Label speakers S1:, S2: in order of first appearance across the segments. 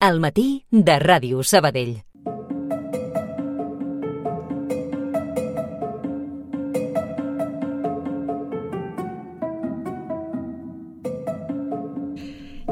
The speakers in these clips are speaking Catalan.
S1: Al matí de Ràdio Sabadell.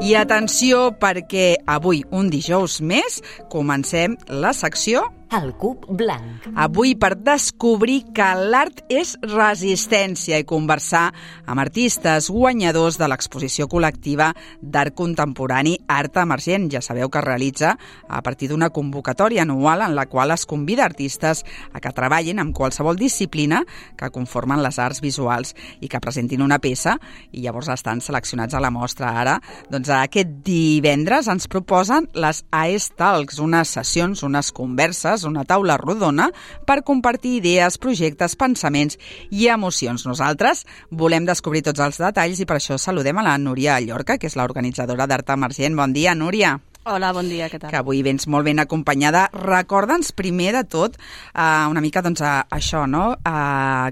S2: I atenció, perquè avui, un dijous més, comencem la secció
S1: El cub blanc.
S2: Avui per descobrir que l'art és resistència i conversar amb artistes guanyadors de l'exposició col·lectiva d'art contemporani Art Emergent. Ja sabeu que es realitza a partir d'una convocatòria anual en la qual es convida artistes a que treballin amb qualsevol disciplina que conformen les arts visuals i que presentin una peça i llavors estan seleccionats a la mostra. Ara, doncs aquest divendres ens proposen les AES Talks, unes sessions, unes converses, una taula rodona per compartir idees, projectes, pensaments i emocions. Nosaltres volem descobrir tots els detalls i per això saludem a la Núria Llorca, que és l'organitzadora d'Art Emergent. Bon dia, Núria.
S3: Hola, bon dia, què tal?
S2: Que avui vens molt ben acompanyada. Recorda'ns primer de tot una mica això, no?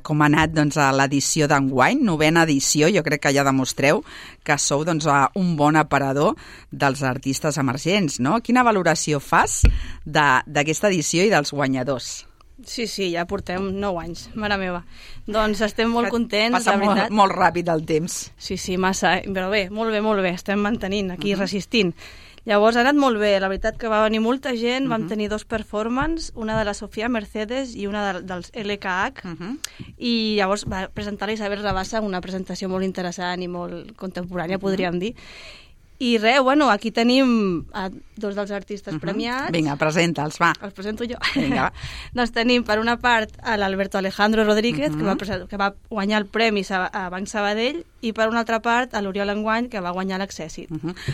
S2: Com ha anat l'edició d'enguany, 9ª edició. Jo crec que ja demostreu que sou un bon aparador dels artistes emergents, no? Quina valoració fas d'aquesta edició i dels guanyadors?
S3: Sí, ja portem 9 anys, mare meva. Doncs estem molt contents,
S2: la veritat. Passa molt ràpid el temps.
S3: Sí, massa, però bé, molt bé. Estem mantenint aquí, resistint. Llavors ha anat molt bé, la veritat que va venir molta gent, vam tenir 2 performances, una de la Sofia Mercedes i una dels LKH, i llavors va presentar la Isabel Rabassa, una presentació molt interessant i molt contemporània, podríem dir. I res, aquí tenim 2 dels artistes premiats.
S2: Vinga, presenta'ls, va.
S3: Els presento jo.
S2: Vinga.
S3: Doncs tenim, per una part, l'Alberto Alejandro Rodríguez, que va guanyar el premi a Banc Sabadell, i per una altra part, l'Oriol Enguany, que va guanyar l'Accèssit.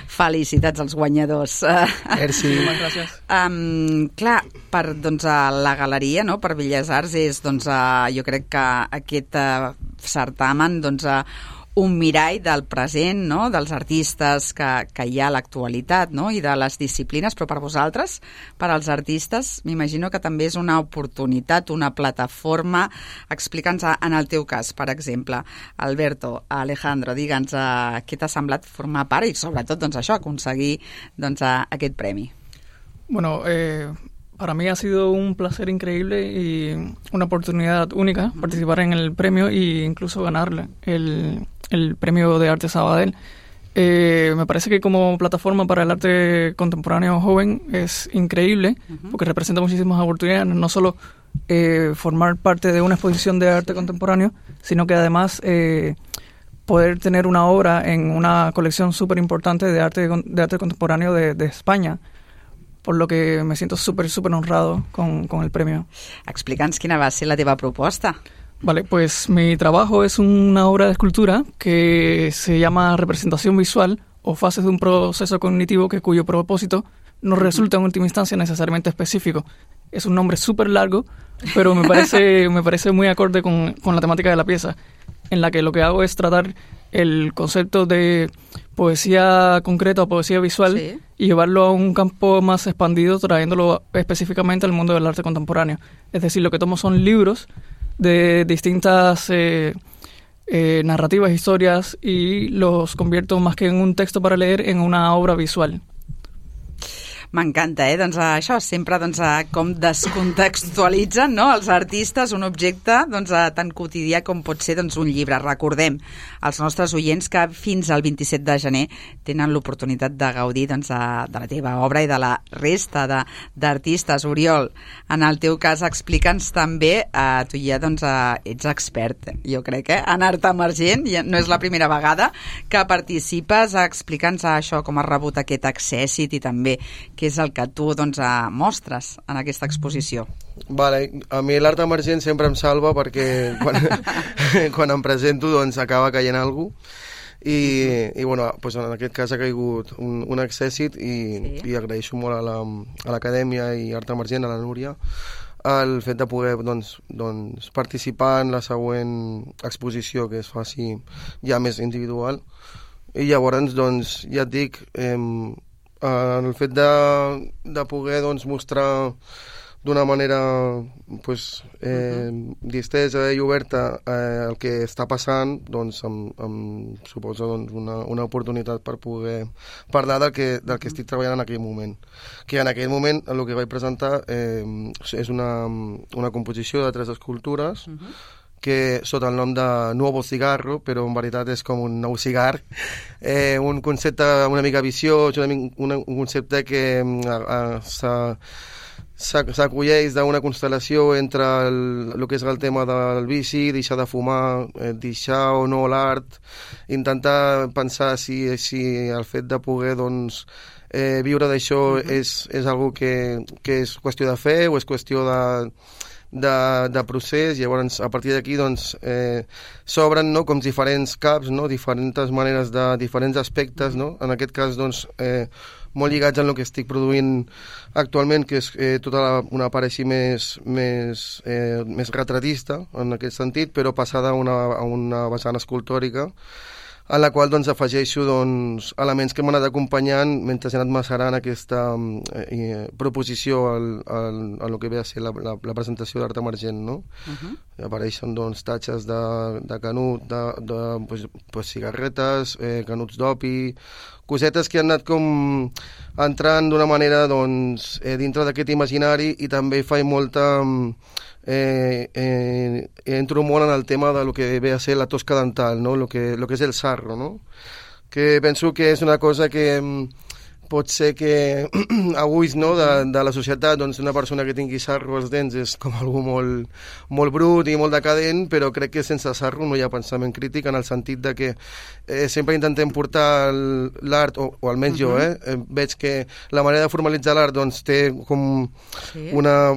S2: Felicitats als guanyadors.
S4: Merci. Moltes gràcies.
S2: Clar, per la galeria, no? Per Belles Arts, és, jo crec que aquest certamen, un mirall del present, no? Dels artistes que hi ha a l'actualitat, no? I de les disciplines, però per vosaltres, per als artistes, m'imagino que també és una oportunitat, una plataforma. Explica'ns en el teu cas, per exemple, Alberto, Alejandro, digue'ns què t'ha semblat formar part i sobretot això, aconseguir aquest premi.
S4: Bueno, para mí ha sido un placer increíble y una oportunidad única participar en el premio e incluso ganarle el premio de arte Sabadell. Me parece que como plataforma para el arte contemporáneo joven es increíble porque representa muchísimas oportunidades, no solo formar parte de una exposición de arte contemporáneo, sino que además poder tener una obra en una colección súper importante de arte contemporáneo de España, por lo que me siento súper honrado con el premio.
S2: Explica'ns quina va ser la teva proposta.
S4: Vale, pues mi trabajo es una obra de escultura que se llama Representación Visual o Fases de un Proceso Cognitivo cuyo propósito no resulta en última instancia necesariamente específico. Es un nombre súper largo, pero me parece muy acorde con la temática de la pieza, en la que lo que hago es tratar el concepto de poesía concreta o poesía visual y llevarlo a un campo más expandido, trayéndolo específicamente al mundo del arte contemporáneo. Es decir, lo que tomo son libros de distintas narrativas, historias, y los convierto más que en un texto para leer en una obra visual.
S2: M'encanta, això sempre com descontextualitzen, no? Els artistes un objecte tan quotidià com pot ser un llibre. Recordem als nostres oients que fins al 27 de gener tenen l'oportunitat de gaudir de la teva obra i de la resta d'artistes. Oriol, en el teu cas explica'ns també, tu ja ets expert, jo crec, en art emergent, no és la primera vegada que participes. Explica'ns això, com has rebut aquest Accèssit i també què és el que tu mostres en aquesta exposició.
S5: Vale, a mi l'art emergent sempre em salva perquè quan em presento acaba caient alguna cosa i bueno, pues en aquest cas ha caigut un Accèssit i agraeixo molt a l'Acadèmia i Art Emergent, a la Núria, el fet de poder participar en la següent exposició que es faci ja més individual. I llavors, ja et dic, el fet de poder mostrar d'una manera distesa i oberta el que està passant, doncs em suposa una oportunitat per poder parlar del que estic treballant en aquell moment. Que en aquell moment el que vaig presentar és una composició de 3 escultures que sota el nom de Nuevo Cigarro, però en veritat és com un nou cigar, un concepte una mica viciós, un concepte que s'acolleix d'una constel·lació entre el que és el tema del vici, deixar de fumar, deixar o no l'art, intentar pensar si el fet de poder viure d'això és algo que és qüestió de fe o és qüestió de procés. Llavors a partir d'aquí s'obren com diferents caps, diferents maneres de diferents aspectes, en aquest cas molt lligats en el que estic produint actualment, que és tota una part així més retratista en aquest sentit, però passada a una vessant escultòrica, en la qual afegeixo elements que m'han anat acompanyant mentre he anat macerant aquesta proposició a lo que ve a ser la presentació d'art emergent, no? Apareixen tatxes de canut, de cigarretes, canuts d'opi, cosetes que han anat com entrant d'una manera dintre d'aquest imaginari, i també faig molta entro molt en el tema de lo que ve a ser la tosca dental, no? Lo que és el sarro, no? Que penso que és una cosa que pot ser que avui de la societat una persona que tingui sarro als dents és com algú molt brut i molt decadent, però crec que sense sarro no hi ha pensament crític, en el sentit de que sempre intentem portar l'art, o almenys jo, veig que la manera de formalitzar l'art té com una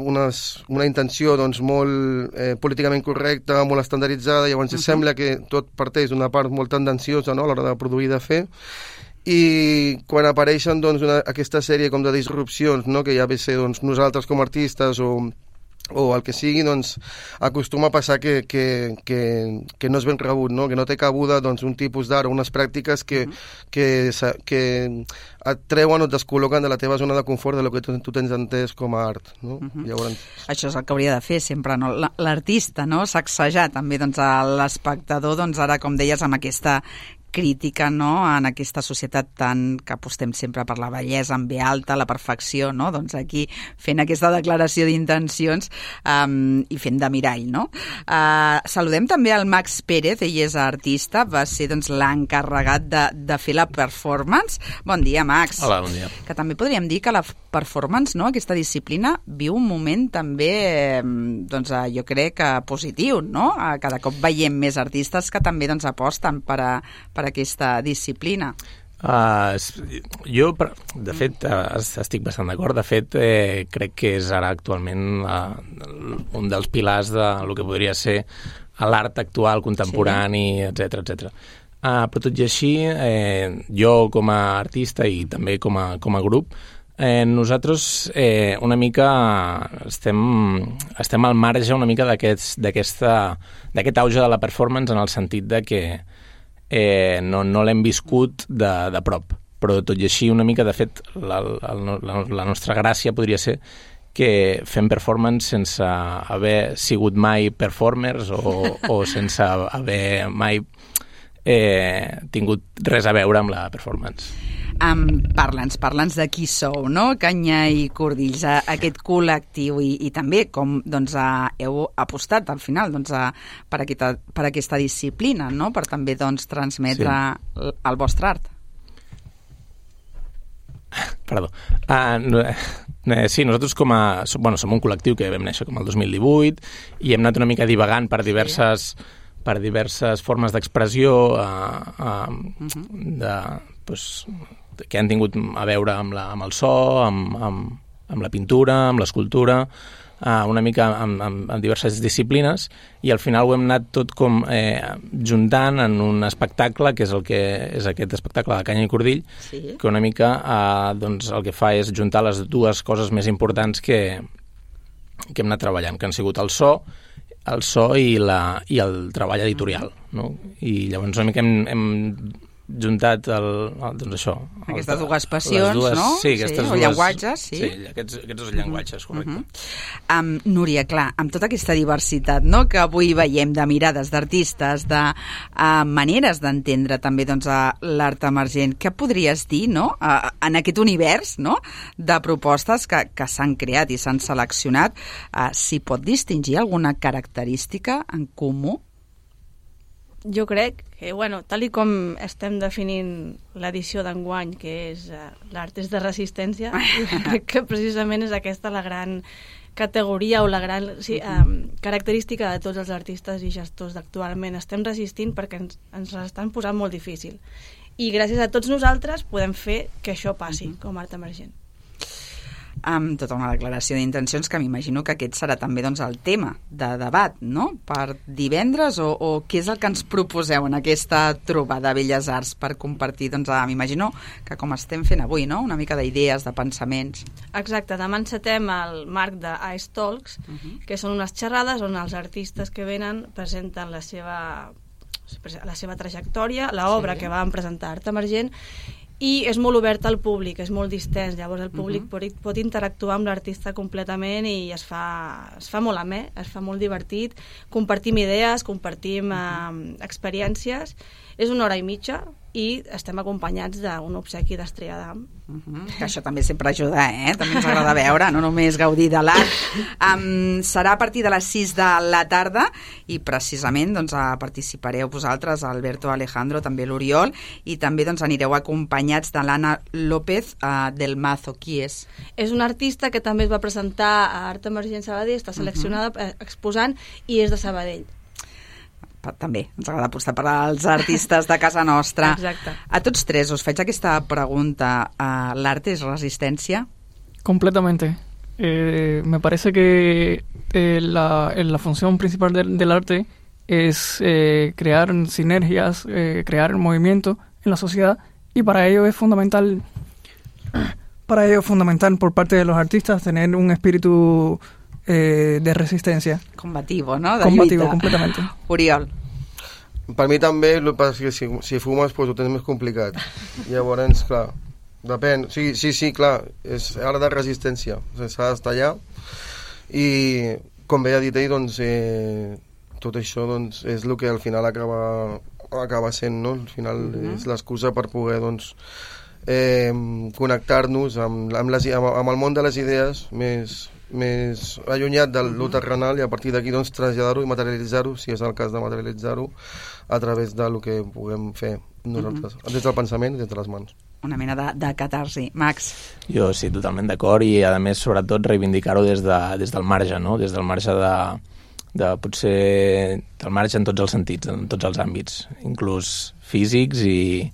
S5: intenció molt políticament correcta, molt estandarditzada. Llavors sembla que tot parteix d'una part molt tendenciosa, a l'hora de produir i de fer, i quan apareixen aquesta sèrie com de disrupcions, que ja ve ser nosaltres com a artistes o el que sigui, acostuma a passar que no és ben rebut, que no té cabuda un tipus d'art o unes pràctiques que et treuen o et descol·loquen de la teva zona de confort, de lo que tu tens entès com a art, no? Llavors...
S2: Això és el que hauria de fer sempre, no? L'artista, no? Sacsejar també l'espectador, ara, com deies, amb aquesta crítica, no?, en aquesta societat que apostem sempre per la bellesa en ve alta, la perfecció, no? Aquí fent aquesta declaració d'intencions i fent de mirall, no? Saludem també el Max Pérez, ell és artista, va ser l'encarregat de fer la performance. Bon dia, Max.
S6: Hola, bon dia.
S2: Que també podríem dir que la performance, no?, aquesta disciplina, viu un moment també, jo crec que positiu, no? Cada cop veiem més artistes que també aposten per aquesta disciplina.
S6: Jo, de fet, estic bastant d'acord. De fet, crec que és ara actualment un dels pilars del que podria ser l'art actual, contemporani, etc. Però tot i així, jo com a artista i també com a grup, nosaltres una mica estem al marge una mica d'aquest auge de la performance, en el sentit de que no l'hem viscut de prop, però tot i així una mica, de fet, la nostra gràcia podria ser que fem performance sense haver sigut mai performers o sense haver mai tingut res a veure amb la performance.
S2: Parla'ns de qui sou, no? Canya i Cordills, aquest col·lectiu, i també com heu apostat al final per aquesta disciplina, no? Per també transmetre el vostre art.
S6: Perdó. Sí, nosaltres som un col·lectiu que vam néixer com el 2018 i hem anat una mica divagant per diverses formes d'expressió que han tingut a veure amb el so, amb la pintura, amb l'escultura, una mica amb diverses disciplines, i al final ho hem anat tot com juntant en un espectacle, que és aquest espectacle de Canya i Cordill, que una mica el que fa és juntar les dues coses més importants que hem anat treballant, que han sigut el so i el treball editorial, no? I llavors una mica hem juntat doncs això...
S2: Aquestes dues passions, no?
S6: Sí, aquestes
S2: o llenguatges, sí.
S6: Sí, aquests dos llenguatges, correcte.
S2: Núria, clar, amb tota aquesta diversitat, no?, que avui veiem de mirades d'artistes, de maneres d'entendre també doncs, l'art emergent, què podries dir, no?, en aquest univers, no?, de propostes que s'han creat i s'han seleccionat, s'hi pot distingir alguna característica en comú?
S3: Jo crec que, tal i com estem definint l'edició d'enguany, que és l'art és de resistència, crec que precisament és aquesta la gran categoria o la gran característica de tots els artistes i gestors d'actualment. Estem resistint perquè ens l'estan posant molt difícil. I gràcies a tots nosaltres podem fer que això passi com a art emergent.
S2: Amb tota una declaració d'intencions que m'imagino que aquest serà també doncs, el tema de debat, no?, per divendres, o què és el que ens proposeu en aquesta trobada de Belles Arts per compartir, doncs, m'imagino que com estem fent avui, no?, una mica d'idees, de pensaments.
S3: Exacte, demà encetem el marc de Ice Talks, que són unes xerrades on els artistes que venen presenten la seva trajectòria, l'obra que van presentar Art Emergent, i és molt obert al públic, és molt distens, llavors el públic pot interactuar amb l'artista completament i es fa molt amè, es fa molt divertit, compartim idees, compartim experiències, és 1 hora i mitja i estem acompanyats d'un obsequi d'Estrella d'Am.
S2: Que això també sempre ajuda, també ens agrada veure, no només gaudir de l'art. Serà a partir de les 6 de la tarda i precisament doncs, participareu vosaltres, Alberto, Alejandro, també l'Oriol, i també doncs, anireu acompanyats de l'Anna López del Mazo. Qui és?
S3: És una artista que també es va presentar a Art Emergent Sabadell, està seleccionada exposant i és de Sabadell.
S2: També ens agrada apostar per als artistes de casa nostra.
S3: Exacte.
S2: A tots tres us faig aquesta pregunta. ¿L'arte es resistencia?
S4: Completamente. Me parece que la función principal del arte es crear sinergias, crear movimiento en la sociedad, y para ello es fundamental por parte de los artistas tener un espíritu de resistencia.
S2: Combativo, no? De
S4: combativo,
S2: lluita.
S4: Completamente.
S2: Oriol.
S5: Per mi també, el que passa és que si fumes pues, ho tens més complicat. Llavors, clar, depèn. Sí, clar, és art de resistència. S'ha d'estar allà. I, com bé ha dit ell, doncs, tot això doncs, és el que al final acaba sent, no? Al final és l'excusa per poder, doncs, connectar-nos amb el món de les idees més allunyat de lo terrenal, i a partir d'aquí doncs, traslladar-ho i materialitzar-ho, si és el cas de materialitzar-ho, a través del que puguem fer nosaltres, des del pensament i des de les mans.
S2: Una mena de catarsi. Max?
S6: Jo sí, totalment d'acord, i a més sobretot reivindicar-ho des del marge, no? Des del marge de potser del marge en tots els sentits, en tots els àmbits, inclús físics i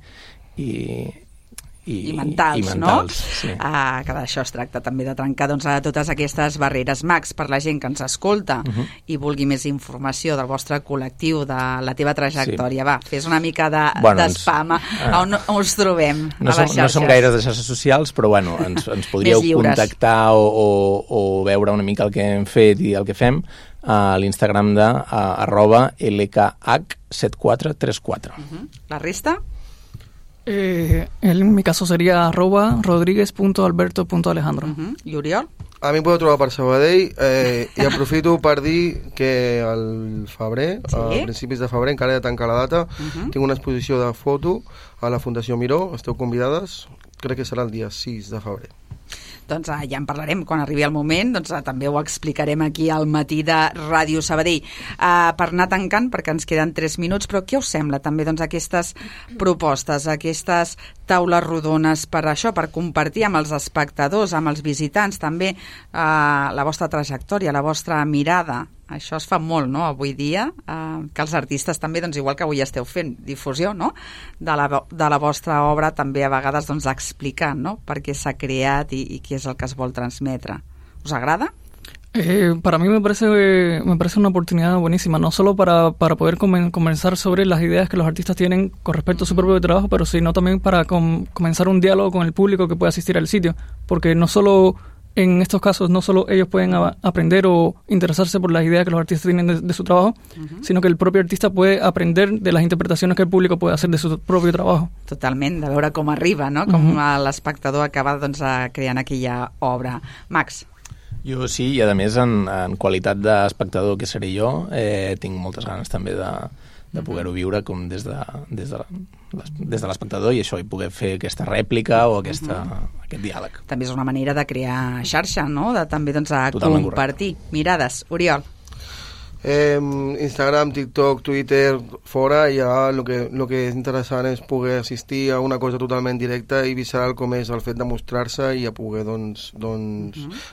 S6: mentals,
S2: no?
S6: Sí.
S2: Que d'això es tracta també, de trencar doncs, a totes aquestes barreres. Max, per la gent que ens escolta i vulgui més informació del vostre col·lectiu, de la teva trajectòria, va, fes una mica d'espam. On us trobem a les xarxes?
S6: No som gaires de xarxes socials, però bueno, ens podríeu contactar o veure una mica el que hem fet i el que fem a l'Instagram de @LKH7434.
S2: La resta?
S4: En mi caso sería @rodriguez.alberto.alejandro.
S2: I Oriol?
S5: A mi em podeu trobar per Sabadell, i aprofito per dir que al febrer, a principis de febrer, encara he de tancar la data, tinc una exposició de foto a la Fundació Miró, esteu convidades, crec que serà el dia 6 de febrer.
S2: Doncs ja en parlarem quan arribi el moment, doncs també ho explicarem aquí al matí de Ràdio Sabadell. Per anar tancant, perquè ens queden 3 minuts, però què us sembla també doncs, aquestes propostes, aquestes taules rodones per això, per compartir amb els espectadors, amb els visitants també la vostra trajectòria, la vostra mirada? Això es fa molt, no?, avui dia, que els artistes també, doncs, igual que avui esteu fent difusió, no?, de la vostra obra, també a vegades doncs, explicar, no?, per què s'ha creat i què és el que es vol transmetre. Us agrada?
S4: Para mí me parece una oportunidad buenísima, no solo para poder conversar sobre las ideas que los artistas tienen con respecto a su propio trabajo, pero sino también para comenzar un diálogo con el público que pueda asistir al sitio, porque no solo en estos casos no solo ellos pueden aprender o interesarse por las ideas que los artistas tienen de su trabajo, sino que el propio artista puede aprender de las interpretaciones que el público puede hacer de su propio trabajo.
S2: Totalment, de veure com arriba, no? Com l'espectador acaba creant aquella obra. Max?
S6: Jo sí, i a més en qualitat d'espectador que seré jo, tinc moltes ganes també de poder-ho viure com des de l'espectador i això, i poder fer aquesta rèplica o aquest diàleg.
S2: També és una manera de crear xarxa, no? De també
S6: Totalment
S2: compartir mirades. Oriol?
S5: Instagram, TikTok, Twitter, fora, ja el que és interessant és poder assistir a una cosa totalment directa i visceral com és el fet de mostrar-se i a poder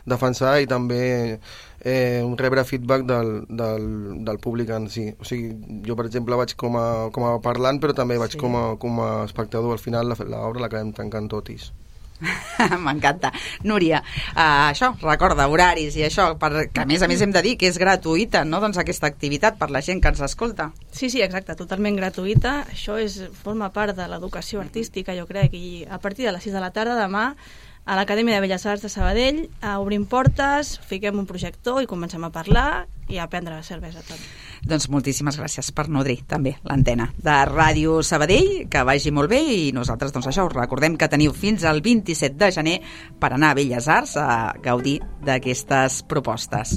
S5: defensar i també rebre feedback del públic en si. O sigui, jo per exemple vaig com a parlant però també vaig com a espectador. Al final l'obra l'acabem tancant totis.
S2: M'encanta. Núria, això, recorda, horaris i això, que a més hem de dir que és gratuïta, no?, doncs aquesta activitat per la gent que ens escolta.
S3: Sí, exacte, totalment gratuïta. Això forma part de l'educació artística, jo crec, i a partir de les 6 de la tarda demà a l'Acadèmia de Belles Arts de Sabadell obrim portes, fiquem un projector i comencem a parlar i a prendre cervesa també.
S2: Doncs moltíssimes gràcies per nodrir també l'antena de Ràdio Sabadell, que vagi molt bé i nosaltres doncs això, us recordem que teniu fins al 27 de gener per anar a Belles Arts a gaudir d'aquestes propostes.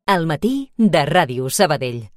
S1: Al matí de Ràdio Sabadell.